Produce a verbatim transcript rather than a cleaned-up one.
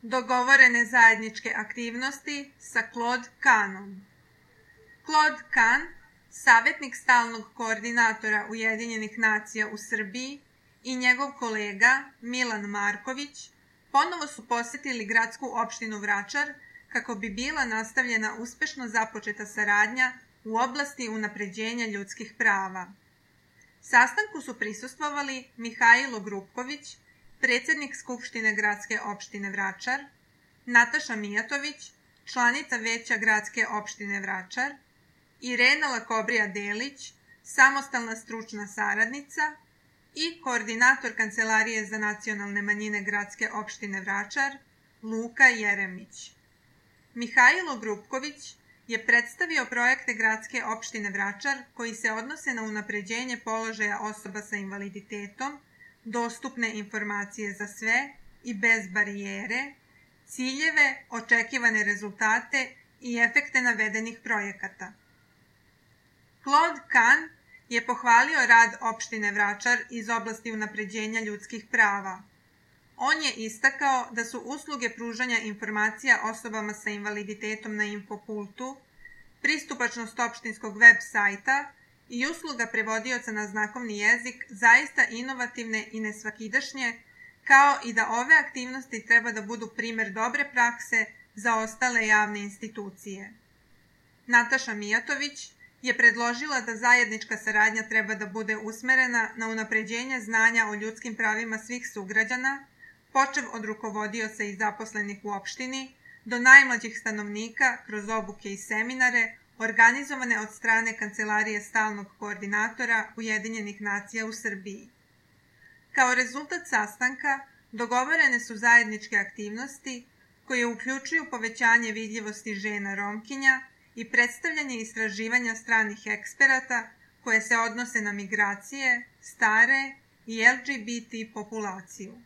Dogovorene zajedničke aktivnosti sa Claude Kahnom. Claude Kahn, savjetnik stalnog koordinatora Ujedinjenih nacija u Srbiji, i njegov kolega Milan Marković ponovo su posetili gradsku opštinu Vračar kako bi bila nastavljena uspešno započeta saradnja u oblasti unapređenja ljudskih prava. Sastanku su prisustvovali Mihajlo Grupković, predsednik Skupštine gradske opštine Vračar, Nataša Mijatović, članica Veća gradske opštine Vračar, Irena Lakobrija-Delić, samostalna stručna saradnica, i koordinator Kancelarije za nacionalne manjine gradske opštine Vračar, Luka Jeremić. Mihajlo Grupković je predstavio projekte gradske opštine Vračar koji se odnose na unapređenje položaja osoba sa invaliditetom, dostupne informacije za sve i bez barijere, ciljeve, očekivane rezultate i efekte navedenih projekata. Claude Kahn je pohvalio rad opštine Vračar iz oblasti unapređenja ljudskih prava. On je istakao da su usluge pružanja informacija osobama sa invaliditetom na Infopultu, pristupačnost opštinskog web sajta i usluga prevodioca na znakovni jezik zaista inovativne i nesvakidašnje, kao i da ove aktivnosti treba da budu primer dobre prakse za ostale javne institucije. Nataša Mijatović je predložila da zajednička saradnja treba da bude usmerena na unapređenje znanja o ljudskim pravima svih sugrađana, počev od rukovodioca i zaposlenih u opštini, do najmlađih stanovnika kroz obuke i seminare organizovane od strane Kancelarije stalnog koordinatora Ujedinjenih nacija u Srbiji. Kao rezultat sastanka dogovorene su zajedničke aktivnosti koje uključuju povećanje vidljivosti žena Romkinja i predstavljanje istraživanja stranih eksperata koje se odnose na migracije, stare i L G B T populaciju.